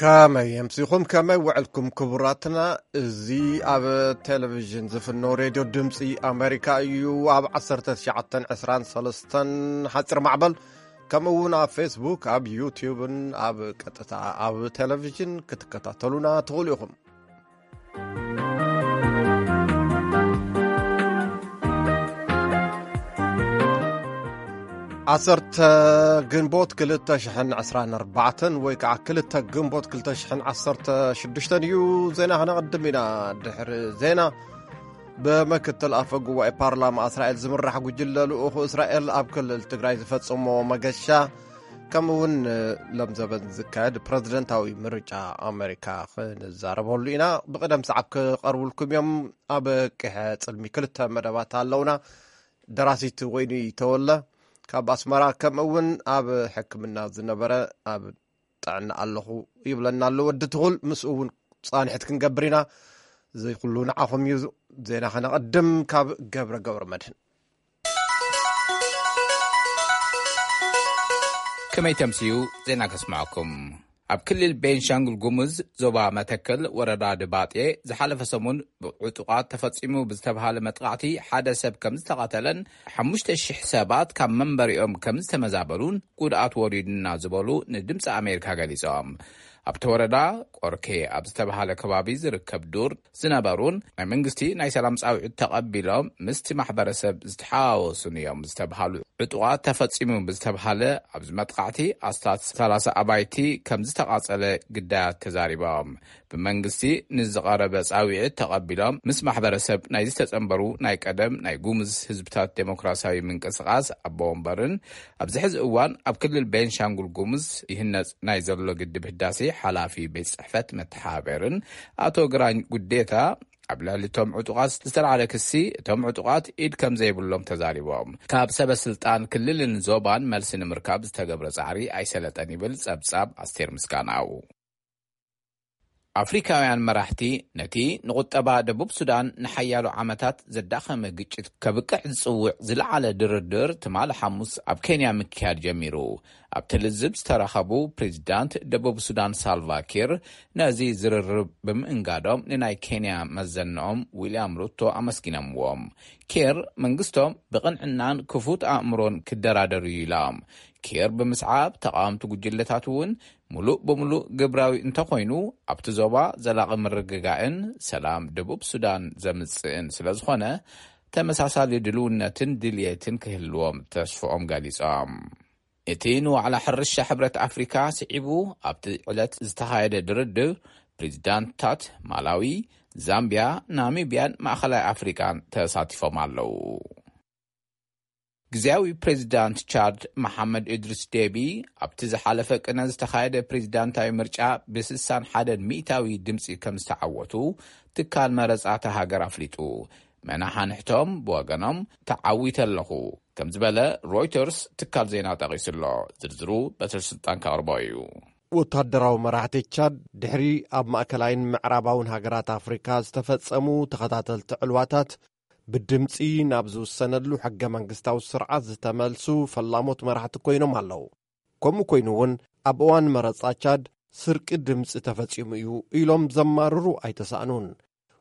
ከመይ ኣምሲኹም፣ ከመይ ውዕልኩም ክቡራትና? እዚ ኣብ ቴሌቪዥን ዝፍኖ ሬድዮ ድምፂ ኣሜሪካ እዩ። ኣብ ዓሰርተ ትሽዓተን ዕስራን ሰለስተን ሓፂር ማዕበል፣ ከምኡ እውን ኣብ ፌስቡክ፣ ኣብ ዩቲዩብን ኣብ ቀጥታ ኣብ ቴሌቪዥን ክትከታተሉና ትኽእሉ ኢኹም። ዓሰርተ ግንቦት ክልተ ሽሕን ዕስራን ኣርባዕተን ወይ ከዓ ክልተ ግንቦት ክልተ ሽሕን ዓሰርተ ሽዱሽተን እዩ። ዜና ክነቐድም ኢና። ድሕሪ ዜና፣ ብምክትል ኣፈ ጉባኤ ፓርላማ እስራኤል ዝምራሕ ጉጅለ ልኡኹ እስራኤል ኣብ ክልል ትግራይ ዝፈጸሞ መገሻ፣ ከምኡ እውን ሎም ዘበን ዝካየድ ፕረዚደንታዊ ምርጫ ኣሜሪካ ክንዛረበሉ ኢና። ብቕደም ሰዓብ ክቐርቡልኩም እዮም። ኣብ ቅሐ ጽልሚ ክልተ መደባት ኣለውና። ደራሲት ወይኒ ተወለ ካብ ኣስመራ፣ ከምኡ እውን ኣብ ሕክምና ዝነበረ ኣብ ጥዕና ኣለኹ ይብለና ኣሎ ወዲ ትኹል። ምስኡ እውን ጻንሕት ክንገብር ኢና። እዚ ኩሉ ንዓኹም እዩ። ዜና ከነቐድም ካብ ገብረ ገብረ መድህን። ከመይ ተምስዩ? ዜና ከስምዐኩም። ኣብ ክልል ቤንሻንጉል ጉሙዝ ዞባ መተከል ወረዳ ድባጤ ዝሓለፈ ሰሙን ብዕጡቓት ተፈጺሙ ብዝተባሃለ መጥቃዕቲ ሓደ ሰብ ከም ዝተቐተለን ሓሙሽተ ሽሕ ሰባት ካብ መንበሪኦም ከም ዝተመዛበሉን ጉድኣት ወሪዱና ዝበሉ ንድምፂ ኣሜሪካ ገሊጾም። ኣብቲ ወረዳ ቆርኬ ኣብ ዝተባሃለ ከባቢ ዝርከብ ዱር ዝነበሩን ናይ መንግስቲ ናይ ሰላም ጻውዒት ተቐቢሎም ምስቲ ማሕበረሰብ ዝተሓዋወሱን እዮም ዝተባሃሉ ዕጡቓት ተፈጺሙ ብዝተባሃለ ኣብዚ መጥቃዕቲ ኣስታት ሰላሳ ኣባይቲ ከም ዝተቓጸለ ግዳያት ተዛሪቦም። ብመንግስቲ ንዝቐረበ ጻውዒት ተቐቢሎም ምስ ማሕበረሰብ ናይ ዝተጸንበሩ ናይ ቀደም ናይ ጉሙዝ ህዝብታት ዴሞክራሲያዊ ምንቅስቓስ ኣቦ ወንበርን ኣብዚ ሕዚ እዋን ኣብ ክልል ቤንሻንጉል ጉሙዝ ይህነጽ ናይ ዘሎ ግድብ ህዳሴ ሓላፊ ቤት ጽሕፈት መተሓባበርን ኣቶ ግራኝ ጉዴታ ኣብ ልዕሊ እቶም ዕጡቓት ዝተልዓለ ክሲ፣ እቶም ዕጡቓት ኢድ ከም ዘይብሎም ተዛሪቦም። ካብ ሰበ ስልጣን ክልልን ዞባን መልሲ ንምርካብ ዝተገብረ ጻዕሪ ኣይሰለጠን ይብል ጸብጻብ ኣስቴር ምስጋናው። ኣፍሪካውያን መራሕቲ ነቲ ንቁጠባ ደቡብ ሱዳን ንሓያሎ ዓመታት ዘዳኸመ ግጭት ከብቅዕ ዝጽውዕ ዝለዓለ ድርድር ትማሊ ሓሙስ ኣብ ኬንያ ምክያድ ጀሚሩ። ኣብቲ ልዝብ ዝተረኸቡ ፕሬዚዳንት ደቡብ ሱዳን ሳልቫ ኪር ነዚ ዝርርብ ብምእንጋዶም ንናይ ኬንያ መዘንኦም ዊልያም ሩቶ ኣመስጊኖምዎም። ኪር መንግስቶም ብቕንዕናን ክፉት ኣእምሮን ክደራደሩ እዩ ኢሎም። ኪር ብምስዓብ ተቃወምቲ ጉጅለታት እውን ምሉእ ብምሉእ ግብራዊ እንተኾይኑ ኣብቲ ዞባ ዘላቒ ምርግጋእን ሰላም ደቡብ ሱዳን ዘምጽእን ስለ ዝኾነ ተመሳሳሊ ድልውነትን ድልየትን ክህልዎም ተስፍኦም ገሊጾም። እቲ ንዋዕላ ሕርሻ ሕብረት ኣፍሪካ ስዒቡ ኣብቲ ዕለት ዝተኻየደ ድርድር ፕሬዚዳንትታት ማላዊ፣ ዛምቢያ፣ ናሚቢያን ማእኸላይ ኣፍሪካን ተሳቲፎም ኣለዉ። ግዜያዊ ፕሬዚዳንት ቻድ መሓመድ እድሪስ ዴቢ ኣብቲ ዝሓለፈ ቅነ ዝተኻየደ ፕሬዚዳንታዊ ምርጫ ብስሳን ሓደን ሚእታዊ ድምፂ ከም ዝተዓወቱ ትካል መረፃ እታ ሃገር ኣፍሊጡ። መናሓንሕቶም ብወገኖም ተዓዊተ ኣለኹ ከም ዝበለ ሮይተርስ ትካል ዜና ጠቒሱ ኣሎ። ዝርዝሩ በትሪ ስልጣን ከቕርቦ እዩ። ወታደራዊ መራሕቲ ቻድ ድሕሪ ኣብ ማእከላይን ምዕራባውን ሃገራት ኣፍሪካ ዝተፈጸሙ ተኸታተልቲ ዕልዋታት ብድምጺ ናብ ዝውሰነሉ ሕገ መንግስታዊ ስርዓት ዝተመልሱ ፈላሞት መራሕቲ ኮይኖም ኣለዉ። ከምኡ ኮይኑ እውን ኣብ እዋን መረጻ ቻድ ስርቂ ድምጺ ተፈጺሙ እዩ ኢሎም ዘማርሩ ኣይተሳእኑን።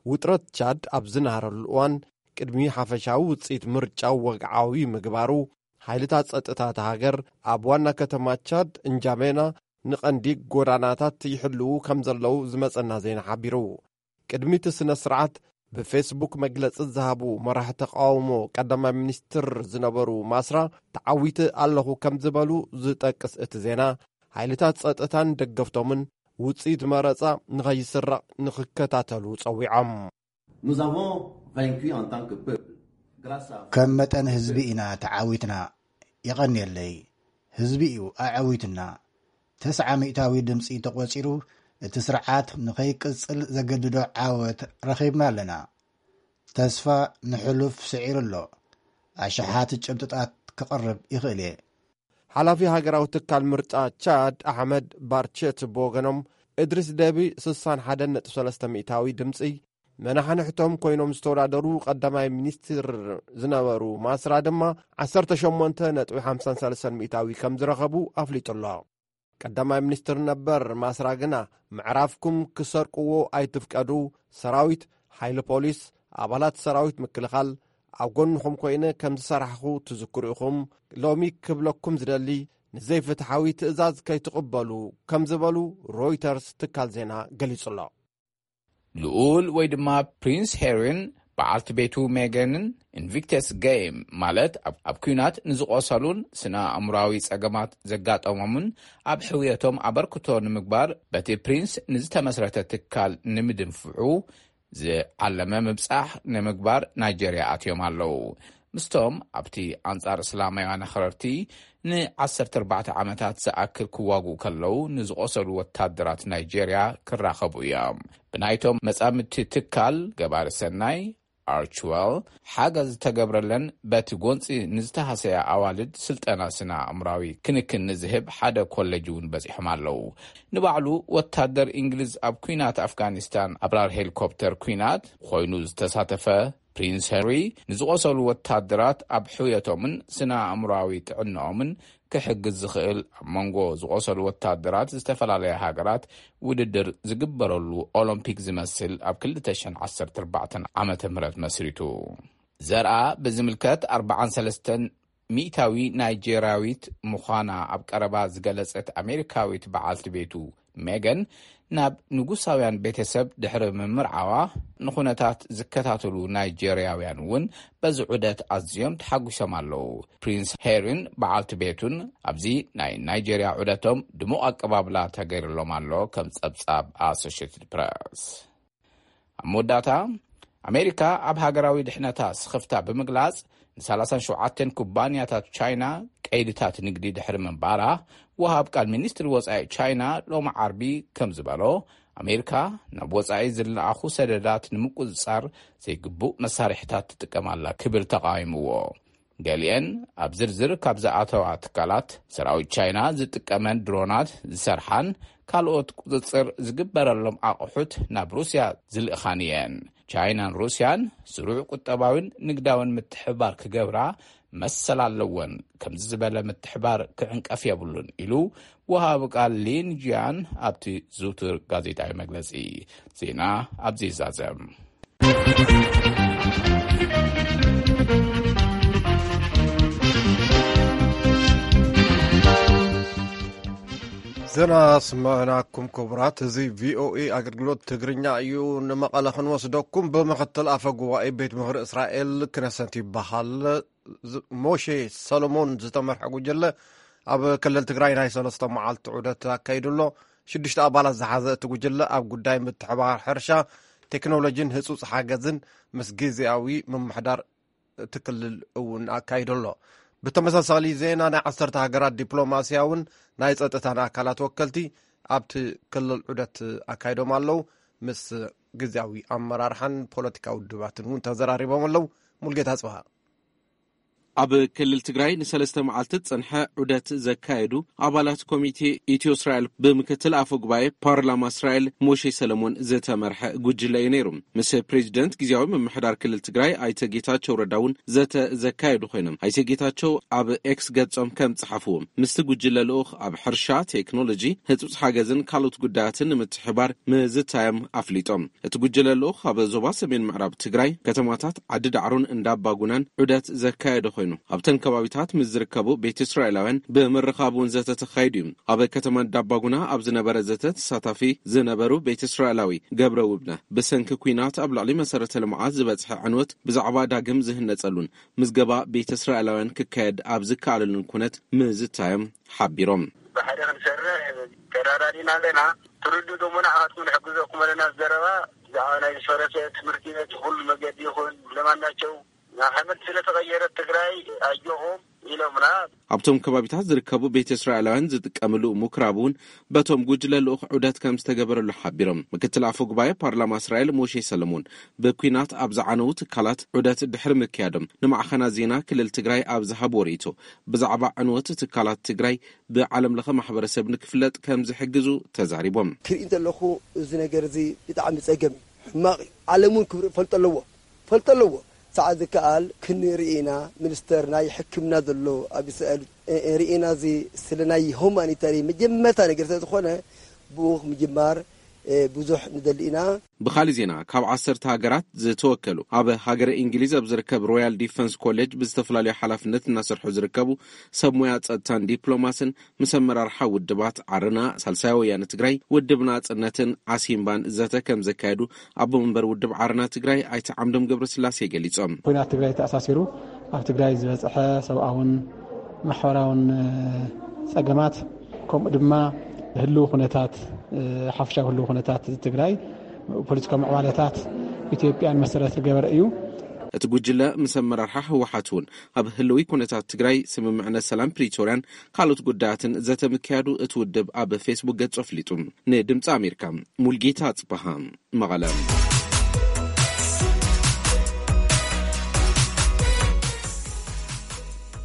ውጥረት ቻድ ኣብ ዝናሃረሉ እዋን ቅድሚ ሓፈሻዊ ውጽኢት ምርጫው ወግዓዊ ምግባሩ ሓይልታት ጸጥታ እታ ሃገር ኣብ ዋና ከተማ ቻድ እንጃሜና ንቐንዲ ጎዳናታት ይሕልዉ ከም ዘለዉ ዝመጸና ዜና ሓቢሩ። ቅድሚ እቲ ስነ ስርዓት ብፌስቡክ መግለጺ ዝሃቡ መራሒ ተቃውሞ ቀዳማይ ሚኒስትር ዝነበሩ ማስራ ተዓዊተ ኣለኹ ከም ዝበሉ ዝጠቅስ እቲ ዜና ሓይልታት ጸጥታን ደገፍቶምን ውጽኢት መረጻ ንኸይስረቕ ንኽከታተሉ ጸዊዖም። Nous avons vaincu en tant que peuple. Grâce à vous. ከም መጠን ህዝቢ ኢና ተዓዊትና። የቐንየለይ። ህዝቢ እዩ ኣዐዊትና። ተስዓ ሚእታዊ ድምፂ ተቖፂሩ እቲ ስርዓት ንኸይቅፅል ዘገድዶ ዓወት ረኺብና ኣለና። ተስፋ ንሕሉፍ ስዒሩ ኣሎ። ኣሽሓት ጭብጥታት ክቕርብ ይኽእል እየ። ሓላፊ ሃገራዊ ትካል ምርጫ ቻድ ኣሕመድ ባርቸት ብወገኖም እድሪስ ደቢ ስሳን ሓደን ነጥቢ ሰለስተ ሚእታዊ ድምፂ መናሕንሕቶም ኮይኖም ዝተወዳደሩ ቀዳማይ ሚኒስትር ዝነበሩ ማስራ ድማ ዓሰርተ ሸሞንተ ነጥቢ ሓምሳን ሰለስተን ሚእታዊ ከም ዝረኸቡ ኣፍሊጡ ኣሎ። ቀዳማይ ሚኒስትር ነበር ማስራ ግና፣ ምዕራፍኩም ክሰርቅዎ ኣይትፍቀዱ፣ ሰራዊት፣ ሓይሊ ፖሊስ፣ ኣባላት ሰራዊት ምክልኻል ኣብ ጎንኹም ኮይነ ከም ዝሰራሕኹ ትዝክሩ ኢኹም። ሎሚ ክብለኩም ዝደሊ፣ ንዘይፍትሓዊ ትእዛዝ ከይትቕበሉ ከም ዝበሉ ሮይተርስ ትካል ዜና ገሊጹ ኣሎ። ልኡል ወይ ድማ ፕሪንስ ሄሪን በዓልቲ ቤቱ ሜገንን ኢንቪክተስ ጌም፣ ማለት ኣብ፣ ኣብ ኲናት ንዝቖሰሉን ስነ ኣእምሮኣዊ ጸገማት ዘጋጠሞምን ኣብ ሕውየቶም ኣበርክቶ ንምግባር በቲ ፕሪንስ ንዝተመስረተ ትካል ንምድንፍዑ ዝዓለመ ምብጻሕ ንምግባር ናይጀርያ ኣትዮም ኣለዉ። ምስቶም ኣብቲ ኣንጻር እስላማውያን ኣኽረርቲ ን14 ዓመታት ዝኣክል ክዋግኡ ከለዉ ንዝቖሰሉ ወታደራት ናይጀርያ ክራኸቡ እዮም። ብናይቶም መጻምድቲ ትካል ገባሪ ሰናይ ኣርችወል ሓገዝ ዝተገብረለን በቲ ጎንጺ ንዝተሃሰያ ኣዋልድ ስልጠና ስነ ኣእምራዊ ክንክን ንዝህብ ሓደ ኮሌጅ እውን በጺሖም ኣለዉ። ንባዕሉ ወታደር እንግሊዝ ኣብ ኲናት ኣፍጋኒስታን ኣብራር ሄሊኮፕተር ኲናት ኮይኑ ዝተሳተፈ ፕሪንስ ሄንሪ፣ ንዝቖሰሉ ወታደራት ኣብ ሕውየቶምን ስነ ኣእምሮኣዊ ጥዕናኦምን ክሕግዝ ዝኽእል፣ ኣብ መንጎ ዝቖሰሉ ወታደራት ዝተፈላለያ ሃገራት ውድድር ዝግበረሉ ኦሎምፒክ ዝመስል ኣብ ክልተ ሽሕን ዓሰርተ ኣርባዕተን ዓመተ ምህረት መስሪቱ። ዘርኣ ብዝምልከት ኣርባዓን ሰለስተን ሚእታዊ ናይጄርያዊት ምዃና ኣብ ቀረባ ዝገለጸት ኣሜሪካዊት በዓልቲ ቤቱ ሜገን፣ ናብ ንጉሳውያን ቤተሰብ ድሕሪ ምምርዓዋ፣ ንኹነታት ዝከታተሉ ናይጄርያውያን እውን በዚ ዑደት ኣዝዮም ተሓጒሶም ኣለዉ። ፕሪንስ ሄሪን በዓልቲ ቤቱን ኣብዚ ናይ ናይጄርያ ዑደቶም ድሙቕ ኣቀባብላ ተገይርሎም ኣሎ፣ ከም ጸብጻብ ኣሶሽየትድ ፕረስ። ኣብ መወዳእታ፣ ኣሜሪካ ኣብ ሃገራዊ ድሕነታ ስኽፍታ ብምግላጽ፣ ን ሰላሳን ሸውዓተን ኩባንያታት ቻይና ቀይድታት ንግዲ ድሕሪ ምንባራ፣ ወሃብ ቃል ሚኒስትሪ ወጻኢ ቻይና ሎሚ ዓርቢ ከም ዝበሎ፣ ኣሜሪካ ናብ ወጻኢ ዝለኣኹ ሰደዳት ንምቁጽጻር ዘይግቡእ መሳርሒታት ትጥቀም ኣላ ክብል ተቓዊምዎ። ገሊአን ኣብ ዝርዝር ካብ ዝኣተዋ ትካላት፣ ሰራዊት ቻይና ዝጥቀመን ድሮናት ዝሰርሓን ካልኦት ቁጽጽር ዝግበረሎም ኣቑሑት ናብ ሩስያ ዝልእኻን እየን። ቻይናን ሩስያን ስሩዕ ቁጠባዊን ንግዳዊን ምትሕብባር ክገብራ መሰል ኣለወን። ከምዚ ዝበለ ምትሕባር ክዕንቀፍ የብሉን ኢሉ ወሃቢ ቃል ሊን ጂያን ኣብቲ ዝውቱር ጋዜጣዊ መግለጺ። ዜና ኣብዚ ይዛዘም። ዜና ስማዕናኩም ክቡራት፣ እዚ ቪኦኤ ኣገልግሎት ትግርኛ እዩ። ንመቐለ ክንወስደኩም። ብምኽትል ኣፈ ጉባኤ ቤት ምኽሪ እስራኤል ክነሰት ይበሃል ዝ-፣ ሞሼ ሰሎሞን ዝተመርሐ ጉጅለ ኣብ ክልል ትግራይ ናይ ሰለስተ መዓልቲ ዑደት ኣካይዱ ኣሎ። ሽዱሽተ ኣባላት ዝሓዘ እቲ ጉጅለ ኣብ ጉዳይ ምትሕባር ሕርሻ፣ ቴክኖሎጂን ህጹጽ ሓገዝን ምስ ግዜያዊ ምምሕዳር እቲ ክልል እውን ኣካይዱ ኣሎ። ብተመሳሳሊ ዜና፣ ናይ ዓሰርተ ሃገራት ዲፕሎማስያውን ናይ ጸጥታን ኣካላት ወከልቲ ኣብቲ ክልል ዑደት ኣካይዶም ኣለዉ። ምስ ግዜያዊ ኣመራርሓን ፖለቲካዊ ውድባትን እውን ተዘራሪቦም ኣለዉ። ሙልጌታ ጽብሃ። ኣብ ክልል ትግራይ ንሰለስተ መዓልቲ ዝጸንሐ ዑደት ዘካየዱ ኣባላት ኮሚቴ ኢትዮ እስራኤል ብምክትል ኣፈ ጉባኤ ፓርላማ እስራኤል ሞሼ ሰለሞን ዝተመርሐ ጉጅለ እዩ ነይሩ። ምስ ፕሬዚደንት ግዜያዊ ምምሕዳር ክልል ትግራይ ኣይተ ጌታቸው ረዳ እውን ዘተ ዘካየዱ ኮይኖም፣ ኣይተ ጌታቸው ኣብ ኤክስ ገጾም ከም ጸሓፍዎ፣ ምስቲ ጉጅለ ልኡኽ ኣብ ሕርሻ፣ ቴክኖሎጂ፣ ህጹጽ ሓገዝን ካልኦት ጉዳያትን ንምትሕባር ምዝታዮም ኣፍሊጦም። እቲ ጉጅለ ልኡኽ ኣብ ዞባ ሰሜን ምዕራብ ትግራይ ከተማታት ዓዲ ዳዕሮን እንዳባጉናን ዑደት ዘካየደ ኮይኑ፣ ኣብተን ከባቢታት ምስ ዝርከቡ ቤተ እስራኤላውያን ብምርኻብ እውን ዘተ ተኻይዱ እዩ። ኣብ ከተማ እንዳባጉና ኣብ ዝነበረ ዘተ ተሳታፊ ዝነበሩ ቤተ እስራኤላዊ ገብረ ውብነ፣ ብሰንኪ ኲናት ኣብ ልዕሊ መሰረተ ልምዓት ዝበፅሐ ዕንወት ብዛዕባ ዳግም ዝህነፀሉን ምዝገባ ቤተ እስራኤላውያን ክካየድ ኣብ ዝከኣለሉን ኩነት ምዝታዮም ሓቢሮም። ብሓደ ክንሰርሕ ተራዳዲና ኣለና። ትርዱ ደሞ ንዓኻትኩም ንሕግዘኩም ኣለና። ዘረባ ብዛዕባ ናይ ዝፈረሰ ትምህርቲ ቤት፣ ኩሉ መገዲ ይኹን ለማናቸው ናብ ሓመድ ስለ ተቐየረት ትግራይ ኣጆኹም ኢሎምና። ኣብቶም ከባቢታት ዝርከቡ ቤተ እስራኤላውያን ዝጥቀምሉ ምኩራብ እውን በቶም ጉጅለ ልኡኽ ዑደት ከም ዝተገበረሉ ሓቢሮም። ምክትል ኣፈ ጉባኤ ፓርላማ እስራኤል ሞሼ ሰለሞን፣ ብኲናት ኣብ ዝዓነዉ ትካላት ዑደት ድሕሪ ምክያዶም፣ ንማዕኸናት ዜና ክልል ትግራይ ኣብ ዝሃብዎ ርእይቶ፣ ብዛዕባ ዕንወት ትካላት ትግራይ ብዓለም ለኸ ማሕበረሰብ ንክፍለጥ ከም ዝሕግዙ ተዛሪቦም። ክርኢ እንተለኹ፣ እዚ ነገር እዚ ብጣዕሚ ጸገም እዩ፣ ሕማቕ እዩ። ዓለም እውን ክብሪ ፈልጦ ኣለዎ፣ ፈልጦ ኣለዎ። ሰዓት ዝከኣል ክንርኢ ኢና። ሚኒስተር ናይ ሕክምና ዘሎ ኣብ እስራኤል እ፣ ርኢና እዚ ስለ ናይ ሁማኒታሪ መጀመርታ ነገር ስለ ዝኾነ ብኡ ምጅማር፣ እ፣ ብዙሕ ንደሊ ኢና። ብኻልእ ዜና፣ ካብ ዓሰርተ ሃገራት ዝተወከሉ ኣብ ሃገረ እንግሊዝ ኣብ ዝርከብ ሮያል ዲፈንስ ኮሌጅ ብዝተፈላለዩ ሓላፍነት እናሰርሑ ዝርከቡ ሰብ ሞያ ጸጥታን ዲፕሎማስን ምስ ኣመራርሓ ውድባት ዓረና፣ ሳልሳይ ወያነ ትግራይ፣ ውድብ ናጽነትን ዓሲምባን ዘተ ከም ዘካየዱ ኣቦ መንበር ውድብ ዓረና ትግራይ ኣይተ ዓምዶም ገብረስላሴ ገሊጾም። ኩናት ትግራይ ተኣሳሲሩ ኣብ ትግራይ ዝበፅሐ ሰብኣውን ማሕበራውን፣ እ፣ ፀገማት፣ ከምኡ ድማ ህልው ኩነታት፣ እ፣ ሓፈሻዊ ህልው ኩነታት ትግራይ፣ ፖለቲካዊ ምዕባለታት ኢትዮጵያን መሰረት ዝገበረ እዩ። እቲ ጉጅለ ምስ ኣመራርሓ ህወሓት እውን ኣብ ህልዊ ኩነታት ትግራይ፣ ስምምዕነት ሰላም ፕሪቶርያን ካልኦት ጉዳያትን ዘተ ምክያዱ እቲ ውድብ ኣብ ፌስቡክ ገጹ ኣፍሊጡ። ንድምፂ ኣሜሪካ፣ ሙልጌታ ኣጽበሃ፣ መቐለ።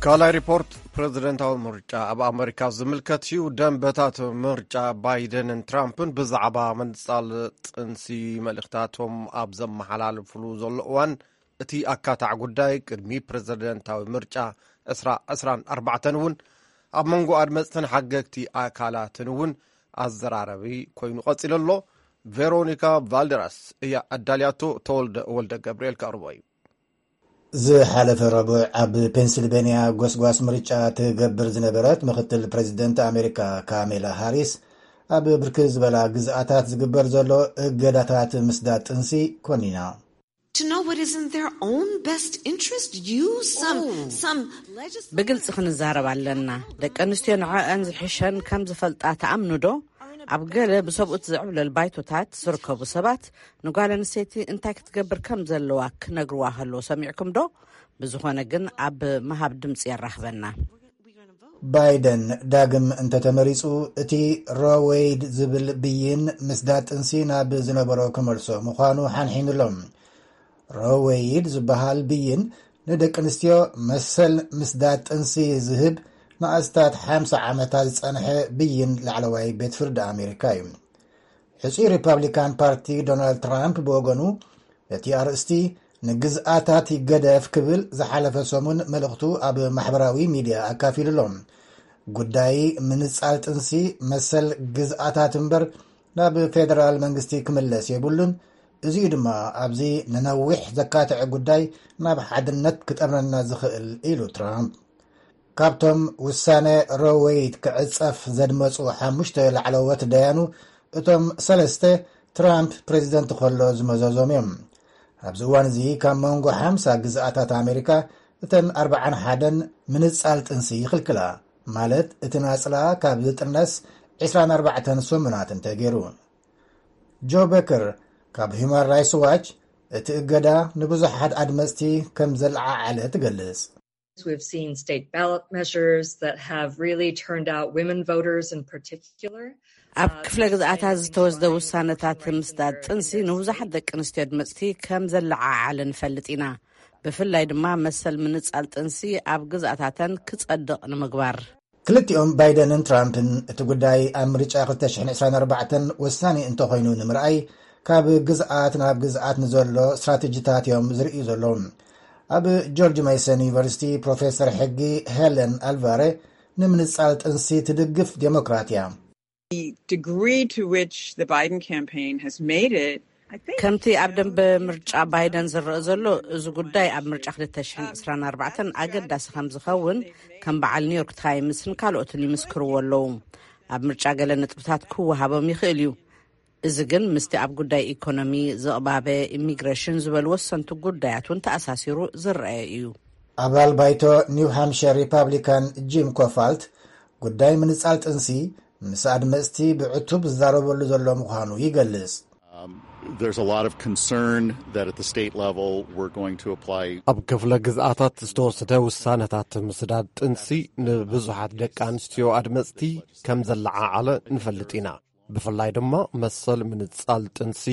ካልኣይ ሪፖርት፣ ፕሬዝደንታዊ ምርጫ ኣብ ኣመሪካ ዝምልከት እዩ። ደንበታት ምርጫ ባይደንን ትራምፕን ብዛዕባ ምንጻል ጥንሲ መልእኽታቶም ኣብ ዘመሓላልፍሉ ዘሎ እዋን፣ እቲ ኣካታዕ ጉዳይ ቅድሚ ፕሬዝደንታዊ ምርጫ ዕስራ ዕስራን ኣርባዕተን እውን ኣብ መንጎ ኣድመፅትን ሓገግቲ ኣካላትን እውን ኣዘራረቢ ኮይኑ ቀፂሉ ኣሎ። ቬሮኒካ ቫልደራስ እያ ኣዳልያቶ፣ ተወልደ ወልደ ገብርኤል ከቕርቦ እዩ። ዝሓለፈ ረቡዕ ኣብ ፔንስልቬንያ ጎስጓስ ምርጫ ትገብር ዝነበረት ምኽትል ፕሬዚደንት ኣሜሪካ ካሜላ ሃሪስ፣ ኣብ ብርክት ዝበላ ግዝኣታት ዝግበር ዘሎ እገዳታት ምስዳድ ጥንሲ ኮኒና። To know what is in their own best interest? You, some, some legislators. ብግልጺ ክንዛረብ ኣለና። ደቂ ኣንስትዮ ንዐኣን ዝሕሸን ከም ዝፈልጣ ተኣምኑ ዶ? ኣብ ገለ ብሰብኡት ዝዕብለል ባይቶታት ዝርከቡ ሰባት ንጓል ኣንስተይቲ እንታይ ክትገብር ከም ዘለዋ ክነግርዋ ከለዉ ሰሚዕኩም ዶ? ብዝኾነ ግን ኣብ ምሃብ ድምጺ የራኽበና። ባይደን ዳግም እንተተመሪጹ፣ እቲ ሮ ዌይድ ዝብል ብይን ምስዳድ ጥንሲ ናብ ዝነበሮ ክመልሶ ምዃኑ ሓንሒኑሎም። ሮ ዌይድ ዝበሃል ብይን ንደቂ ኣንስትዮ መሰል ምስዳድ ጥንሲ ዝህብ ንኣስታት ሓምሳ ዓመታት ዝጸንሐ ብይን ላዕለዋይ ቤት ፍርዲ ኣሜሪካ እዩ። ሕጹይ ሪፓብሊካን ፓርቲ ዶናልድ ትራምፕ ብወገኑ፣ እቲ ኣርእስቲ ንግዝኣታት ይገደፍ ክብል ዝሓለፈ ሰሙን መልእኽቱ ኣብ ማሕበራዊ ሚድያ ኣካፊሉ ኣሎ። ጉዳይ ምንጻል ጥንሲ መሰል ግዝኣታት እምበር ናብ ፌደራል መንግስቲ ክምለስ የብሉን። እዚኡ ድማ ኣብዚ ንነዊሕ ዘካትዐ ጉዳይ ናብ ሓድነት ክጠምረና ዝኽእል ኢሉ ትራምፕ። ካብቶም ውሳነ ሮ ዌይድ ክዕጸፍ ዘድመጹ ሓሙሽተ ላዕለዎት ደያኑ፣ እቶም ሰለስተ ትራምፕ ፕሬዚደንት ከሎ ዝመዘዞም እዮም። ኣብዚ እዋን እዚ ካብ መንጎ ሓምሳ ግዝኣታት ኣሜሪካ እተን ኣርብዓን ሓደን ምንጻል ጥንሲ ይኽልክላ፣ ማለት እቲ ናጽላ ካብ ዝጥነስ ዕስራን ኣርባዕተን ሰሙናት እንተገይሩ። ጆ በከር ካብ ሁማን ራይትስ ዋች፣ እቲ እገዳ ንብዙሓት ኣድመጽቲ ከም ዘለዓዓለ ትገልጽ። We've seen state ballot measures that have really turned out women voters in particular. ኣብ ክፍለ ግዝኣታት ዝተወስደ ውሳነታት ምስዳድ ጥንሲ ንብዙሓት ደቂ ኣንስትዮ ኣድመጽቲ ከም ዘለዓዓለ ንፈልጥ ኢና። ብፍላይ ድማ መሰል ምንጻል ጥንሲ ኣብ ግዝኣታተን ክጸድቕ ንምግባር። ክልቲኦም ባይደንን ትራምፕን እቲ ጉዳይ ኣብ ምርጫ ክልተ ሽሕን ዕስራን ኣርባዕተን ወሳኒ እንተኾይኑ ንምርኣይ፣ ካብ ግዝኣት ናብ ግዝኣት ንዘሎ ስትራቴጂታት እዮም ዝርእዩ ዘለዉ። ኣብ ጆርጅ ሜሰን ዩኒቨርሲቲ ፕሮፌሰር ሕጊ ሄለን ኣልቫሬ፣ ንምንጻል ጥንሲ ትድግፍ ዴሞክራት እያ። The degree to which the Biden campaign has made it, I think, ከምቲ ኣብ ደንበ ምርጫ ባይደን ዝረአ ዘሎ፣ እዚ ጉዳይ ኣብ ምርጫ ክልተ ሽሕን ዕስራን ኣርባዕተን ኣገዳሲ ከም ዝኸውን ከም በዓል ኒውዮርክ ታይምስን ካልኦትን ይምስክርዎ ኣለዉ። ኣብ ምርጫ ገለ ነጥብታት ክወሃቦም ይኽእል እዩ። እዚ ግን ምስቲ ኣብ ጉዳይ ኢኮኖሚ፣ ዝቕባበ፣ ኢሚግሬሽን ዝበሉ ወሰንቲ ጉዳያት እውን ተኣሳሲሩ ዝረአ እዩ። ኣባል ባይቶ ኒው ሃምሸር ሪፓብሊካን ጂም ኮፋልት፣ ጉዳይ ምንጻል ጥንሲ ምስ ኣድመጽቲ ብዕቱብ ዝዛረበሉ ዘሎ ምዃኑ ይገልጽ። Um, there's a lot of concern that at the state level we're going to apply. ኣብ ክፍለ ግዝኣታት ዝተወሰደ ውሳነታት ምስዳድ ጥንሲ ንብዙሓት ደቂ ኣንስትዮ ኣድመጽቲ ከም ዘለዓዓለ ንፈልጥ ኢና። ብፍላይ ድማ መሰል ምንጻል ጥንሲ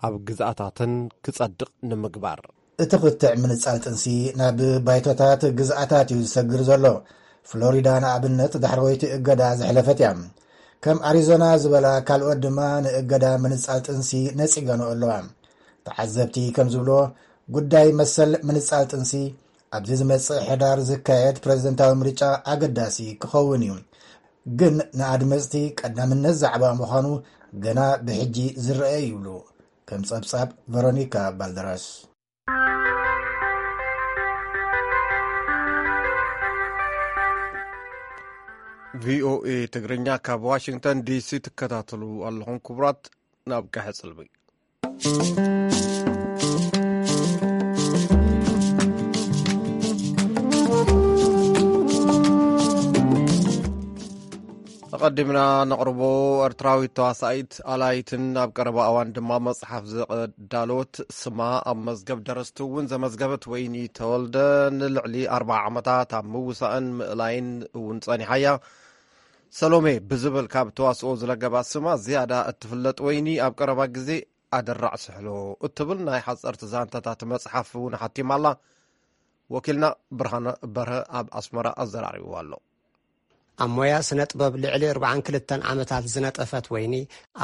ኣብ ግዝኣታተን ክጸድቕ ንምግባር። እቲ ክትዕ ምንጻል ጥንሲ ናብ ባይቶታት ግዝኣታት እዩ ዝሰግር ዘሎ። ፍሎሪዳ ንኣብነት ዳሕረወይቲ እገዳ ዘሕለፈት እያ። ከም ኣሪዞና ዝበላ ካልኦት ድማ ንእገዳ ምንጻል ጥንሲ ነጺገንኦ ኣለዋ። ተዓዘብቲ ከም ዝብልዎ፣ ጉዳይ መሰል ምንጻል ጥንሲ ኣብዚ ዝመጽእ ሕዳር ዝካየድ ፕረዚደንታዊ ምርጫ ኣገዳሲ ክኸውን እዩ። ግን ንኣድመጽቲ ቀዳምነት ዛዕባ ምዃኑ ገና ብሕጂ ዝረአ ይብሉ። ከም ጸብጻብ ቨሮኒካ ባልደራስ። ቪኦኤ ትግርኛ ካብ ዋሽንግተን ዲሲ ትከታተሉ ኣለኹም። ክቡራት፣ ናብ ቀሐ ጽልቢ። ኣቐዲምና ነቕርቦ፣ ኤርትራዊት ተዋሳኢት ኣላይትን ኣብ ቀረባ እዋን ድማ መጽሓፍ ዘዳለወት፣ ስማ ኣብ መዝገብ ደረስቲ እውን ዘመዝገበት ወይኒ ተወልደ፣ ንልዕሊ ኣርብዓ ዓመታት ኣብ ምውሳእን ምእላይን እውን ጸኒሓ እያ። ሰሎሜ ብዝብል ካብ ተዋስኦ ዝለገባ ስማ ዝያዳ እትፍለጥ ወይኒ፣ ኣብ ቀረባ ግዜ ኣደራዕ ስሕሎ እትብል ናይ ሓጸርቲ ዛንታታት መጽሓፍ እውን ሓቲማ ኣላ። ወኪልና ብርሃነ በርሀ ኣብ ኣስመራ ኣዘራሪብዋ ኣሎ። ኣብ ሞያ ስነ ጥበብ ልዕሊ ኣርብዓን ክልተን ዓመታት ዝነጠፈት ወይኒ፣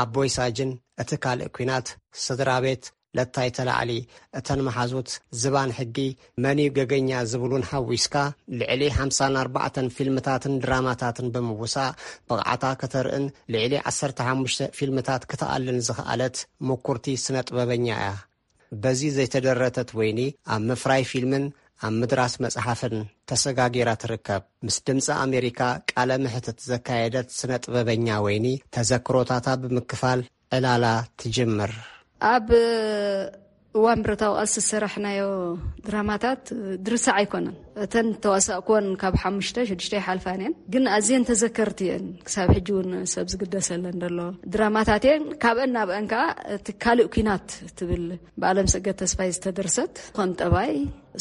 ኣቦይ ሳጅን፣ እቲ ካልእ ኲናት፣ ስድራ ቤት፣ ለታይ ተላዕሊ፣ እተን መሓዙት፣ ዝባን ሕጊ፣ መን እዩ ገገኛ ዝብሉን ሓዊስካ፣ ልዕሊ ሓምሳን ኣርባዕተን ፊልምታትን ድራማታትን ብምውሳእ ብቕዓታ ከተርእን ልዕሊ ዓሰርተ ሓሙሽተ ፊልምታት ክትኣልን ዝኸኣለት ምኩርቲ ስነ ጥበበኛ እያ። በዚ ዘይተደረተት ወይኒ ኣብ ምፍራይ ፊልምን ኣብ ምድራስ መጽሓፍን ተሰጋጊራ ትርከብ። ምስ ድምፂ ኣሜሪካ ቃለ ምሕትት ዘካየደት ስነ ጥበበኛ ወይኒ፣ ተዘክሮታታ ብምክፋል ዕላላ ትጅምር። ኣብ እዋን ብረታዊ ቃልሲ ዝሰራሕናዮ ድራማታት ድርሳዕ ኣይኮነን። እተን ተዋሳእኩወን ካብ ሓሙሽተ ሽዱሽተ ይሓልፋን እየን፣ ግን ኣዝየን ተዘከርቲ እየን። ክሳብ ሕጂ እውን ሰብ ዝግደሰለን ዘሎ ድራማታት እየን። ካብአን ናብአን ከዓ እቲ ካልእ ኲናት ትብል ብኣለም ሰገድ ተስፋይ ዝተደርሰት፣ ኮን ጠባይ፣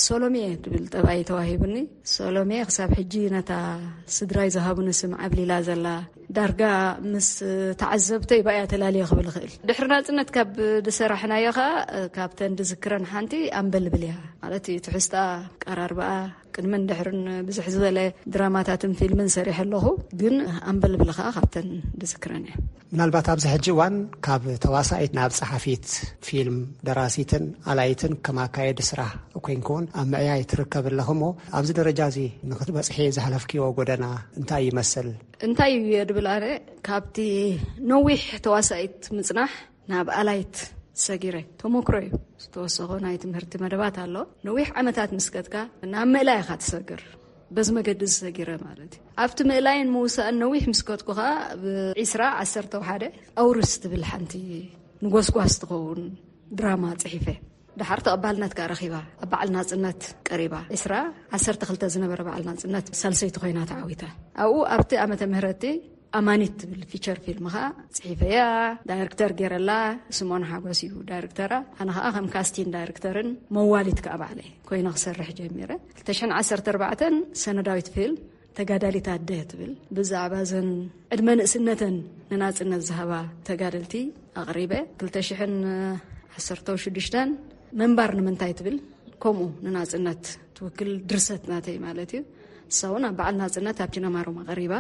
ሶሎሜ ትብል ጠባይ ተዋሂቡኒ። ሶሎሜ ክሳብ ሕጂ ነታ ስድራይ ዝሃቡኒ ስም ዓብሊላ ዘላ፣ ዳርጋ ምስ ተዓዘብተይ ባያ ተላልየ ክብል ይኽእል። ድሕሪ ናጽነት ካብ ዝሰራሕናዮ ኸኣ፣ ካብተን ዝዝክረን ሓንቲ ኣምበልብል እያ። ማለት እዩ፣ ትሕዝታ፣ ቀራርባኣ፣ ቅድምን ድሕርን ብዙሕ ዝበለ ድራማታትን ፊልምን ሰሪሐ ኣለኹ። ግን ኣምበልብል ኸኣ ካብተን ዝዝክረን እያ። ምናልባት ኣብዚ ሕጂ እዋን ካብ ተዋሳኢት ናብ ጸሓፊት ፊልም፣ ደራሲትን ኣላይትን ከም ኣካየዲ ስራሕ ኮይንኩውን ኣብ ምዕያይ ትርከብ ኣለኹ እሞ፣ ኣብዚ ደረጃ እዚ ንክትበጽሒ ዝሓለፍክዮ ጎደና እንታይ ይመስል? እንታይ እዩ ድብል ኣነ፣ ካብቲ ነዊሕ ተዋሳኢት ምጽናሕ ናብ ኣላይት ሰጊረ፣ ተሞክሮ እዩ። ዝተወሰኾ ናይ ትምህርቲ መደባት ኣሎ። ነዊሕ ዓመታት ምስ ከድካ ናብ ምእላይ ኢኻ ትሰግር። በዚ መገዲ እዚ ሰጊረ ማለት እዩ። ኣብቲ ምእላይን ምውሳእን ነዊሕ ምስ ከድኩ ኸኣ፣ ብ ዒስራ ዓሰርተ ሓደ ኣውርስ ትብል ሓንቲ ንጎስጓስ ትኸውን ድራማ ጽሒፈ። ደሓር ተቐባልነት ከኣ ረኺባ፣ ኣብ በዓል ናጽነት ቀሪባ። ዒስራ ዓሰርተ ክልተ ዝነበረ በዓል ናጽነት ሳልሰይቲ ኮይና ተዓዊታ። ኣብኡ ኣብቲ ዓመተ ምህረቲ ኣማኒት ትብል ፊቸር ፊልም ኸኣ ጽሒፈያ። ዳይሬክተር ገይረላ ስምኦን ሓጎስ እዩ ዳይሬክተራ። ኣነ ኸኣ ከም ካስቲን ዳይሬክተርን መዋሊት ከኣ ባዕለይ ኮይነ ክሰርሕ ጀሚረ። ክልተ ሽሕን ዓሰርተ ኣርባዕተን ሰነዳዊት ፊልም ተጋዳሊት ኣደ ትብል፣ ብዛዕባ እዘን ዕድመ ንእስነተን ንናጽነት ዝሃባ ተጋደልቲ ኣቕሪበ። ክልተ ሽሕን ዓሰርተ ሽዱሽተን ምንባር ንምንታይ ትብል፣ ከምኡ ንናጽነት ትውክል ድርሰት ናተይ ማለት እዩ። እሳ እውን ኣብ በዓል ናጽነት ኣብ ጅነማሮም ኣቕሪባ፣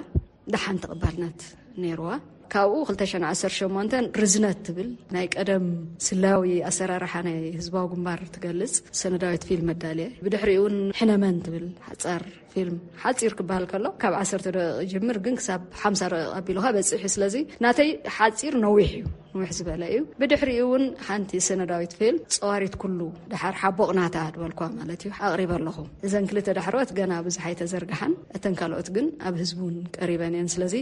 ደሓን ተቐባልነት ነይርዋ። ካብኡ ክልተ ሽሕን ዓሰርተ ሸሞንተን ርዝነት ትብል ናይ ቀደም ስላዊ ኣሰራርሓ ናይ ህዝባዊ ግንባር ትገልጽ ሰነዳዊት ፊልም መዳልየ። ብድሕሪኡ እውን ሕነመን ትብል ሓጻር ፊልም፣ ሓጺር ክበሃል ከሎ ካብ ዓሰርተ ደቂቕ ይጅምር፣ ግን ክሳብ ሓምሳ ደቂቕ ኣቢሉኻ በጺሑ። ስለዚ ናተይ ሓጺር ነዊሕ እዩ፣ ንውሕ ዝበለ እዩ። ብድሕሪኡ እውን ሓንቲ ሰነዳዊት ፊልም ጸዋሪት ኩሉ፣ ደሓር ሓቦቕ ናታ ዝበልኳ ማለት እዩ፣ ኣቕሪበ ኣለኹ። እዘን ክልተ ዳሕሮት ገና ብዙሕ ኣይተዘርግሓን፣ እተን ካልኦት ግን ኣብ ህዝቢ እውን ቀሪበን እየን። ስለዚ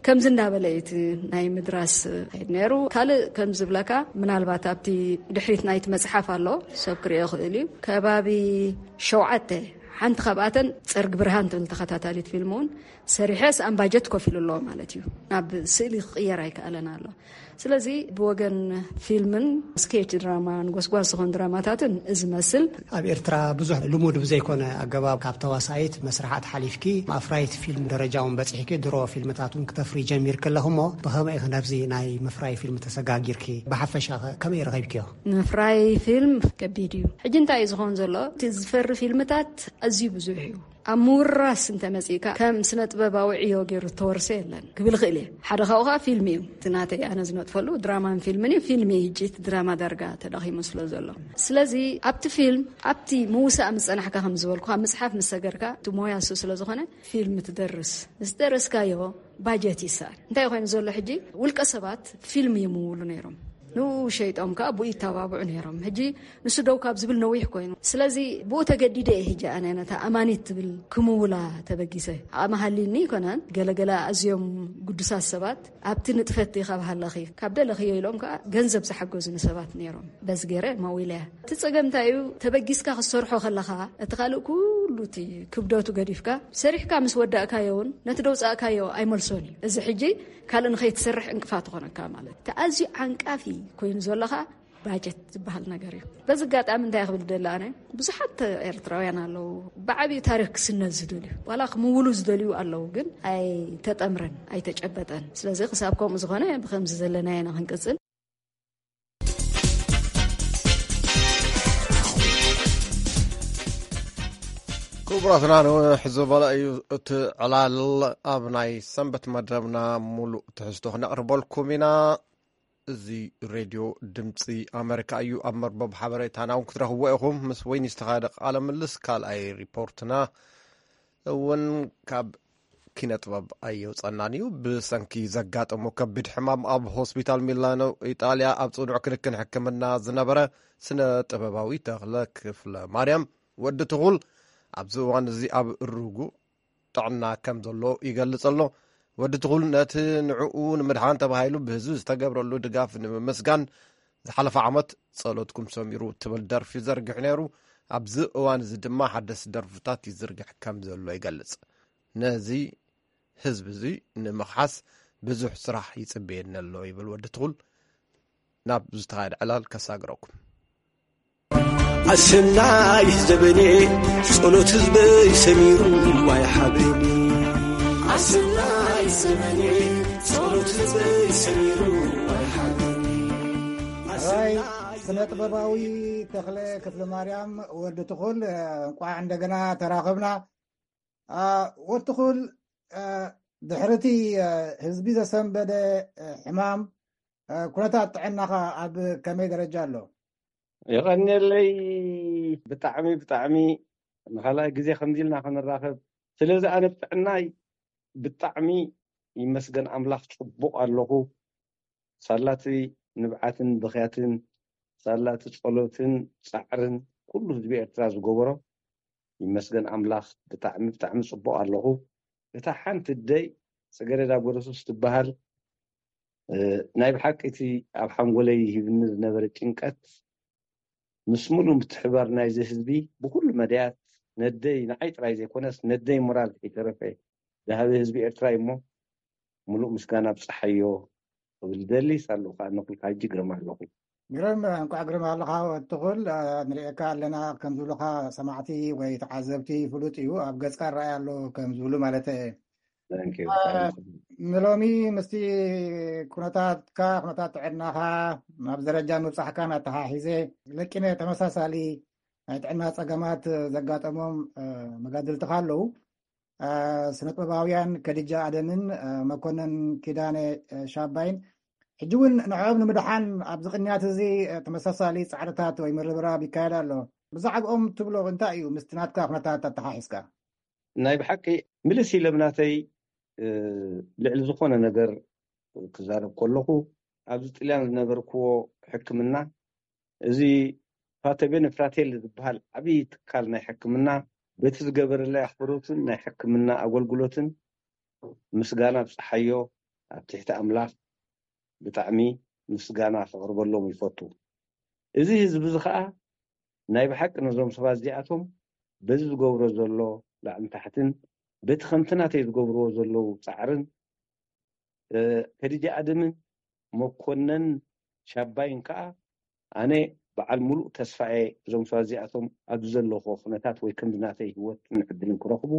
ከምዚ እንዳበለ እዩ እቲ ናይ ምድራስ ከይድ ነይሩ። ካልእ ከም ዝብለካ፣ ምናልባት ኣብቲ ድሕሪት ናይቲ መጽሓፍ ኣሎ፣ ሰብ ክርእዮ ይኽእል እዩ። ከባቢ ሸውዓተ፣ ሓንቲ ካብኣተን ጸርግ ብርሃን ትብል ተኸታታሊት ፊልም እውን ሰሪሐ፣ ስኣን ባጀት ኮፍ ኢሉ ኣሎ ማለት እዩ። ናብ ስእሊ ክቕየር ኣይከኣለን ኣሎ። ስለዚ ብወገን ፊልምን ስኬች ድራማን ጎስጓስ ዝኾኑ ድራማታትን እዚ መስል። ኣብ ኤርትራ ብዙሕ ልሙድ ብዘይኮነ ኣገባብ ካብ ተዋሳኢት መስርሓት ሓሊፍኪ ኣፍራይት ፊልም ደረጃ እውን በጺሕኪ፣ ድሮ ፊልምታት እውን ክተፍሪ ጀሚርኪ ኣለኹ እሞ፣ ብኸመይ ኢኺ ናብዚ ናይ ምፍራይ ፊልም ተሰጋጊርኪ? ብሓፈሻ ኸ ከመይ ረኺብክዮ? ምፍራይ ፊልም ከቢድ እዩ። ሕጂ እንታይ እዩ ዝኾን ዘሎ? እቲ ዝፈሪ ፊልምታት ኣዝዩ ብዙሕ እዩ። ኣብ ምውራስ እንተመጺእካ ከም ስነ ጥበባዊ ዕዮ ገይሩ ዝተወርሰ የለን ክብል ይኽእል እየ። ሓደ ካብኡ ከዓ ፊልም እዩ። እቲ ናተይ ኣነ ዝነጥፈሉ ድራማን ፊልምን እዩ። ፊልም እዩ ሕጂ፣ እቲ ድራማ ዳርጋ ተዳኺሙ ስለ ዘሎ። ስለዚ ኣብቲ ፊልም፣ ኣብቲ ምውሳእ ምስ ጸናሕካ፣ ከም ዝበልኩ ኣብ ምጽሓፍ ምስ ሰገርካ፣ እቲ ሞያ እሱ ስለ ዝኾነ፣ ፊልም ትደርስ፣ ምስ ደረስካዮ ባጀት ይስኣን። እንታይ ኮይኑ ዘሎ ሕጂ፣ ውልቀ ሰባት ፊልም ይምውሉ ነይሮም፣ ንኡ ሸይጦም ከዓ ብኡ ይተባብዑ ነይሮም። ሕጂ ንሱ ደው ካብ ዝብል ነዊሕ ኮይኑ። ስለዚ ብኡ ተገዲደ እየ ሕጂ ኣነ ነታ ኣማኒት ትብል ክምውላ ተበጊሰ። ዓቕሚ ሃልይኒ ኣይኮነን። ገለገለ ኣዝዮም ግዱሳት ሰባት ኣብቲ ንጥፈት ኢኻ ብሃለኺ ካብ ደለኽዮ ኢሎም ከዓ ገንዘብ ዝሓገዙኒ ሰባት ነይሮም። በዚ ገይረ መዊለያ። እቲ ጸገም እንታይ እዩ? ተበጊስካ ክትሰርሖ ከለኻ፣ እቲ ካልእ ኩሉ እቲ ክብደቱ ገዲፍካ፣ ሰሪሕካ ምስ ወዳእካዮ እውን ነቲ ደውጻእካዮ ኣይመልሶን እዩ። እዚ ሕጂ ካልእ ንኸይትሰርሕ ዕንቅፋት ይኾነካ ማለት እዩ። እቲ ኣዝዩ ዓንቃፊ ኮይኑ ዘለኻ ባጀት ዝበሃል ነገር እዩ። በዚ ኣጋጣሚ እንታይ ክብል ደለ ኣነ፣ ብዙሓት ኤርትራውያን ኣለዉ፣ ብዓብዩ ታሪኽ ክስነድ ዝደልዩ፣ ዋላ ክምውሉ ዝደልዩ ኣለዉ፣ ግን ኣይተጠምረን፣ ኣይተጨበጠን። ስለዚ ክሳብ ከምኡ ዝኾነ፣ ብከምዚ ዘለና ኢና ክንቅጽል። ክቡራትና፣ ንውሕ ዝበለ እዩ እቲ ዕላል። ኣብ ናይ ሰንበት መደብና ሙሉእ ትሕዝቶ ክነቕርበልኩም ኢና። እዚ ሬድዮ ድምፂ ኣመሪካ እዩ። ኣብ መርበብ ሓበሬታና እውን ክትረኽብዎ ኢኹም። ምስ ወይኒ ዝተኻየደ ቃለ ምልስ ካልኣይ ሪፖርትና እውን ካብ ኪነ ጥበብ ኣየውፀናን እዩ። ብሰንኪ ዘጋጠሞ ከቢድ ሕማም ኣብ ሆስፒታል ሚላኖ ኢጣልያ ኣብ ፅኑዕ ክንክን ሕክምና ዝነበረ ስነ ጥበባዊ ተኽለ ክፍለ ማርያም፣ ወዲ ትኹል፣ ኣብዚ እዋን እዚ ኣብ ርጉእ ጥዕና ከም ዘሎ ይገልጽ ኣሎ። ወዲ ትኹል ነቲ ንዕኡ ንምድሓን ተባሂሉ ብህዝቢ ዝተገብረሉ ድጋፍ ንምምስጋን ዝሓለፈ ዓመት ጸሎትኩም ሰሚሩ ትብል ደርፊ ዘርጊሑ ነይሩ። ኣብዚ እዋን እዚ ድማ ሓደስቲ ደርፍታት ይዝርግሕ ከም ዘሎ ይገልጽ። ነዚ ህዝቢ እዚ ንምኽሓስ ብዙሕ ስራሕ ይጽበየኒ ኣሎ ይብል ወዲ ትኹል። ናብ ዝተኻየደ ዕላል ከሳግረኩም። ኣሰናይ ዘበኔ ጸሎት ህዝበይ ሰሚሩ ኣይሓበኒ። ኣሰናይ ዘበኔ ጸሎት ህዝበይ ሰሚሩ ኣይሓበኒ። ራይ ስነ ጥበባዊ ተኽለ ክፍለ ማርያም ወዲ ትኹል፣ እንቋዕ እንደገና ተራኸብና። ወዲ ትኹል፣ ድሕርቲ ህዝቢ ዘሰንበደ ሕማም፣ ኩነታት ጥዕናኻ ኣብ ከመይ ደረጃ ኣሎ? የቐንየለይ። ብጣዕሚ ብጣዕሚ ንኻልኣይ ግዜ ከምዚ ኢልና ክንራኸብ ስለዚ ኣነ ብጥዕናይ ብጣዕሚ ይመስገን ኣምላኽ ጽቡቕ ኣለኹ። ሳላቲ ንብዓትን ብኽያትን ሳላቲ ጸሎትን ጻዕርን ኩሉ ህዝቢ ኤርትራ ዝገበሮ ይመስገን ኣምላኽ ብጣዕሚ ብጣዕሚ ጽቡቕ ኣለኹ። እታ ሓንቲ ደይ ጽገረዳ ጎረሱስ ትበሃል ናይ ብሓቂ እቲ ኣብ ሓንጎለይ ሂብኒ ዝነበረ ጭንቀት ምስ ሙሉ ምትሕባር ናይዚ ህዝቢ ብኩሉ መዳያት ነደይ ንዓይ ጥራይ ዘይኮነስ ነደይ ሞራል ከይተረፈ ዝሃበ ህዝቢ ኤርትራ እዩ እሞ ሙሉእ ምስጋና ብፀሓዮ ክብል ደሊ ሳለኹ ከዓ ነኩልካ ሕጂ ግርም ኣለኹ። ግርም እንኳዕ ግርም ኣለኻ ወትኹል ንርእየካ ኣለና ከም ዝብሉኻ ሰማዕቲ ወይ ተዓዘብቲ ፍሉጥ እዩ። ኣብ ገጽካ ራእይ ኣሎ ከም ዝብሉ ማለት እየ። ንሎሚ ምስቲ ኩነታትካ ኩነታት ጥዕናኻ ናብ ደረጃ ምብጻሕካን ኣተሓሒዘ ለቂነ ተመሳሳሊ ናይ ጥዕና ጸገማት ዘጋጠሞም መጋድልትኻ ኣለዉ። ስነጥበባውያን ከዲጃ ኣደምን መኮነን ኪዳነ ሻባይን ሕጂ እውን ንዕኦም ንምድሓን ኣብዚ ቅንያት እዚ ተመሳሳሊ ጻዕርታት ወይ ምርብራብ ይካየድ ኣሎ። ብዛዕባኦም ትብሎ እንታይ እዩ ምስቲ ናትካ ኩነታት ኣተሓሒዝካ? ናይ ብሓቂ ምልስ ኢለ ብናተይ ልዕሊ ዝኾነ ነገር ክዛረብ ከለኹ ኣብዚ ጥልያን ዝነበርክዎ ሕክምና እዚ ፋተቤን ፍራቴል ዝበሃል ዓብዪ ትካል ናይ ሕክምና በቲ ዝገበረለይ ኣኽብሮትን ናይ ሕክምና ኣገልግሎትን ምስጋና ብፀሓዮ ኣብ ትሕቲ ኣምላኽ ብጣዕሚ ምስጋና ከቕርበሎም ይፈቱ። እዚ ህዝቢ እዚ ከዓ ናይ ብሓቂ ነዞም ሰባት እዚኣቶም በዚ ዝገብሮ ዘሎ ላዕሊ ታሕትን በቲ ከምቲ ናተይ ዝገብርዎ ዘለዉ ፃዕርን ከዲጃ ኣደምን መኮነን ሻባይን ከዓ ኣነ በዓል ሙሉእ ተስፋ እየ እዞም ሰባት እዚኣቶም ኣብዚ ዘለኹዎ ኩነታት ወይ ከምዚ ናተይ ህይወትን ዕድልን ክረኽቡ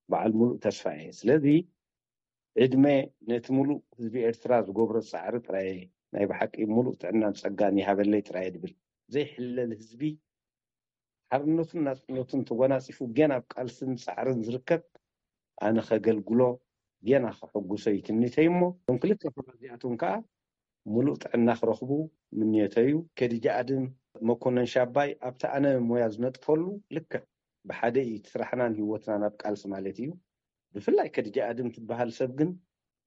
በዓል ሙሉእ ተስፋ እየ። ስለዚ ዕድመ ነቲ ሙሉእ ህዝቢ ኤርትራ ዝገብሮ ጻዕሪ ጥራይ ናይ ብሓቂ ሙሉእ ጥዕናን ጸጋን ይሃበለይ ጥራይ ድብል። ዘይሕለል ህዝቢ ሓርነቱን ናጽነቱን ተጎናጺፉ ገና ኣብ ቃልስን ጻዕርን ዝርከብ ኣነ ከገልግሎ ገና ከሐጉሶ እዩ ትምኒተይ እሞ፣ እቶም ክልተ ፍርያት እዚኣቶም ከኣ ምሉእ ጥዕና ክረኽቡ ምንዮተይ እዩ። ከዲጃ ኣድም፣ መኮነን ሻባይ ኣብቲ ኣነ ሞያ ዝነጥፈሉ ልክዕ ብሓደ እዩ እቲ ስራሕናን ህይወትናን ኣብ ቃልሲ ማለት እዩ። ብፍላይ ከዲጃ ኣድም ትበሃል ሰብ ግን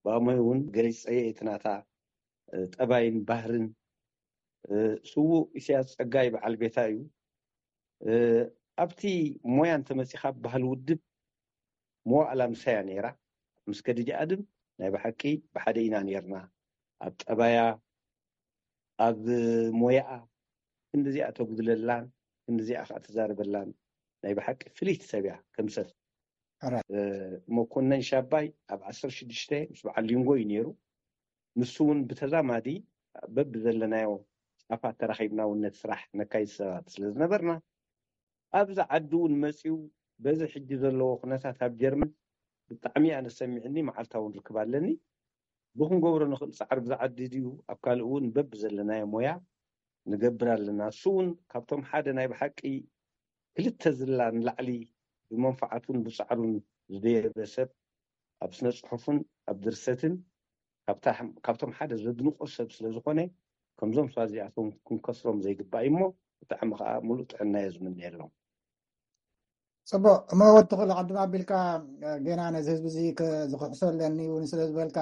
ብኣሞይ እውን ገሊጸየ እቲ ናታ ጠባይን ባህርን። ስዉእ ኢሳያስ ጸጋይ በዓል ቤታ እዩ። ኣብቲ ሞያ እንተመጺኻ በሃል ውድብ መዋእላ ምሳያ ነይራ። ምስ ከዲጃ ኣድም ናይ ብሓቂ ብሓደ ኢና ነይርና። ኣብ ጠባያ፣ ኣብ ሞያኣ ክንዲዚኣ ተጉድለላን ክንዲዚኣ ከኣ ትዛረበላን ናይ ብሓቂ ፍልይቲ ሰብ እያ ከም ሰብ። መኮነን ሻባይ ኣብ ዓሰርተ ሽዱሽተ ምስ በዓል ሊንጎ እዩ ነይሩ። ንሱ እውን ብተዛማዲ በብዘለናዮ ጫፋት ተራኺብና እውን ነቲ ስራሕ ነካይድ ሰባት ስለ ዝነበርና፣ ኣብዚ ዓዲ እውን መጺኡ በዚ ሕጂ ዘለዎ ኩነታት ኣብ ጀርመን ብጣዕሚ ኣነ ሰሚዕኒ፣ መዓልታ እውን ርክብ ኣለኒ። ብክንገብሮ ንኽእል ጻዕሪ ብዛ ዓዲ ድዩ ኣብ ካልእ እውን በብዘለናዮ ሞያ ንገብር ኣለና። እሱ እውን ካብቶም ሓደ ናይ ብሓቂ ክልተ ዝላ ንላዕሊ ብመንፈዓቱን ብጻዕሩን ዝደየበ ሰብ፣ ኣብ ስነ ጽሑፍን ኣብ ድርሰትን ካብታ-፣ ካብቶም ሓደ ዘድንቆ ሰብ ስለ ዝኾነ፣ ከምዞም ሰባት እዚኣቶም ክንከስሮም ዘይግባእ እዩ እሞ፣ ብጣዕሚ ከኣ ሙሉእ ጥዕና እየ ዝምነየሎም። ጽቡቕ። እሞ ወዲ ተኽለ፣ ቅድም ኣቢልካ፣ እ፣ ጌና ነዚ ህዝቢ እዚ ከ-፣ ዝኽሕሶ ኣለኒ እውን ስለ ዝበልካ፣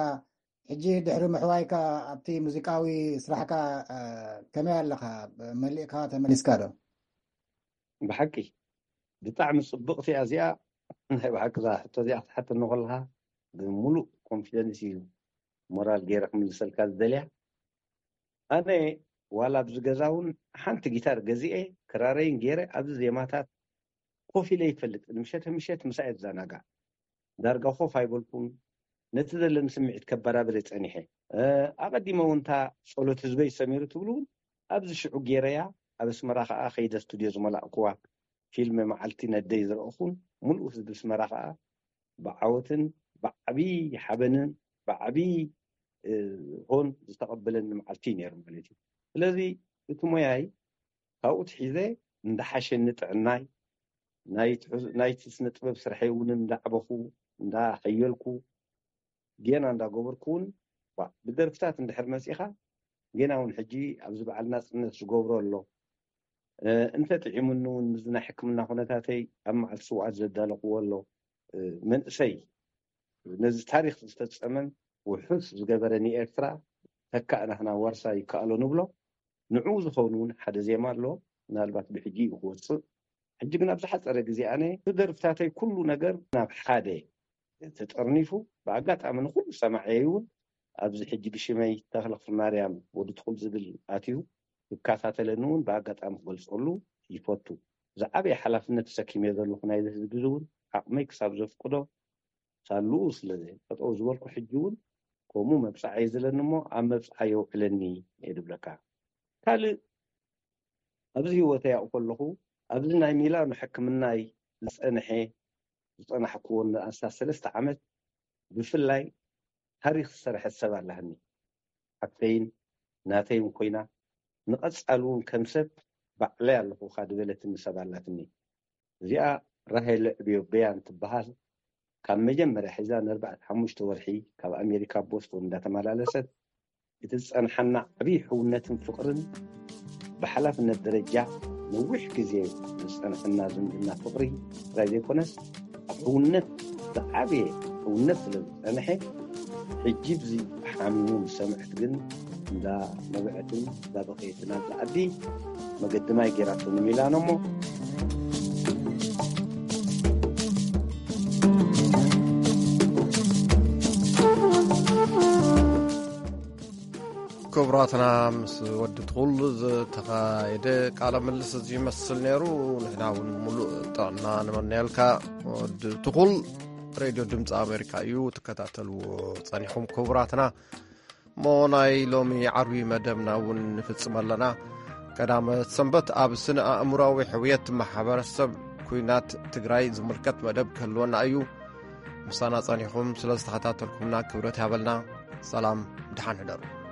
ሕጂ ድሕሪ ምሕዋይካ ኣብቲ ሙዚቃዊ ስራሕካ፣ እ፣ ከመይ ኣለኻ? መሊእካ ተመሊስካ ዶ? ብሓቂ ብጣዕሚ ጽብቕቲ እያ እዚኣ። ናይ ብሓቂ እዛ ሕቶ እዚኣ ክትሓተኒ ከለኻ ብምሉእ ኮንፊደንስ እዩ ሞራል ገይረ ክምልሰልካ ዝደልያ። ኣነ ዋላ ኣብዚ ገዛ እውን ሓንቲ ጊታር ገዚኤ ክራረይን ገይረ ኣብዚ ዜማታት ኮፍ ኢለ ይፈልጥ። ምሸት ምሸት ምሳኤ ዝዘናጋዕ ዳርጋ ኮፍ ኣይበልኩን። ነቲ ዘለኒ ስምዒት ከባራብር ጸኒሐ። እ፣ ኣቐዲመ እውን እታ ጸሎት ህዝበይ ሰሚሩ ትብሉ እውን ኣብዚ ሽዑ ገይረያ። ኣብ ኣስመራ ከኣ ከይደ ስቱድዮ ዝመላእኩዋ ፊልም መዓልቲ ነደይ ዝረእኹን፣ ሙሉእ ህዝቢ ኣስመራ ከኣ ብዓወትን ብዓቢ ሓበንን ብዓቢ፣ እ፣ ሆን ዝተቐበለኒ መዓልቲ እዩ ነይሩ ማለት እዩ። ስለዚ እቲ ሞያይ ካብኡ ትሒዘ እንዳሓሸኒ ጥዕናይ፣ ናይ ትሕዝ-፣ ናይቲ ስነ ጥበብ ስርሐይ እውን እንዳዕበኹ፣ እንዳሐየልኩ፣ ጌና እንዳገበርኩ እውን፣ ዋ፣ ብደርፍታት እንድሕር መጺኻ፣ ጌና እውን ሕጂ ኣብዚ በዓል ናጽነት ዝገብሮ ኣሎ። እ፣ እንተ ጥዒሙኒ እውን ምስዚ ናይ ሕክምና ኩነታተይ ኣብ መዓልቲ ስውኣት ዘዳለኽዎ ኣሎ። እ፣ መንእሰይ ነዚ ታሪኽ ዝፈጸመን ውሑስ ዝገበረ ንኤርትራ ተካእ ናህና ዋርሳ ይከኣሎ ንብሎ። ንዕኡ ዝኸውን እውን ሓደ ዜማ ኣሎ፣ ምናልባት ብሕጂ እዩ ክወጽእ። ሕጂ ግን ኣብ ዝሓጸረ ግዜ ኣነ ብደርፍታተይ ኩሉ ነገር ናብ ሓደ ተጠርኒፉ፣ ብኣጋጣሚ ንኹሉ ሰማዕየይ እውን ኣብዚ ሕጂ ብሽመይ ተኽለ ክፍለማርያም ወዲ ትኹል ዝብል ኣትዩ፣ ክከታተለኒ እውን ብኣጋጣሚ ክገልጸሉ ይፈቱ። ዝዓበየ ሓላፍነት ተሰኪመ ዘለኹ ናይዚ ህዝቢ እዚ እውን ዓቕመይ ክሳብ ዘፍቅዶ ሳልኡ ስለ ጠጠው ዝበልኩ፣ ሕጂ እውን ከምኡ መብጽዓ እዩ ዝለኒ እሞ ኣብ መብጽዓ የውዕለኒ እየ ድብለካ። ካልእ ኣብዚ ህይወተይ ኣብኡ ከለኹ፣ ኣብዚ ናይ ሚላኖ ሕክምናይ ዝጸንሐ፣ ዝጸናሕክዎ ንኣስታት ሰለስተ ዓመት ብፍላይ ታሪኽ ዝሰርሐት ሰብ ኣላህኒ። ሓፍተይን ናተይን ኮይና፣ ንቐጻሊ እውን ከም ሰብ ባዕለይ ኣለኹ እኻ ድበለትኒ ሰብ ኣላትኒ። እዚኣ ራሄል ዕብዮ በያን ትበሃል። ካብ መጀመርያ ሒዛ ንኣርባዕተ ሓሙሽተ ወርሒ ካብ ኣሜሪካ ቦስቶን እንዳተመላለሰት እቲ ዝጸንሓና ዓብዪ ሕውነትን ፍቕርን ብሓላፍነት ደረጃ ነዊሕ ግዜ ዝጸንሐና ዝምድና ፍቕሪ ጥራይ ዘይኮነስ፣ ኣብ ሕውነት ዝዓበየ ሕውነት ስለ ዝጸንሐ፣ ሕጂ ብዚ ሓሚሙ ምስ ሰምዐት ግን እንዳ ነበዐትን እንዳ በኸየትን ኣብዚ ዓዲ መገዲ ማይ ገይራቶ ንሚላኖ እሞ፣ ክቡራትና፣ ምስ ወዲ ትኹል ዝተኻየደ ቃለ ምልስ እዚ ይመስል ነይሩ። ንሕና እውን ሙሉእ ጥዕና ንመነየልካ ወዲ ትኹል። ሬድዮ ድምፂ ኣሜሪካ እዩ ትከታተልዎ ጸኒኹም ክቡራትና። እሞ ናይ ሎሚ ዓርቢ መደብና እውን ንፍጽም ኣለና። ቀዳመ ሰንበት ኣብ ስነ ኣእምሮዊ ሕውየት ማሕበረሰብ ኩናት ትግራይ ዝምልከት መደብ ክህልወና እዩ። ምሳና ጸኒኹም ስለ ዝተኸታተልኩምና ክብረት ያበልና። ሰላም፣ ደሓን ሕደሩ።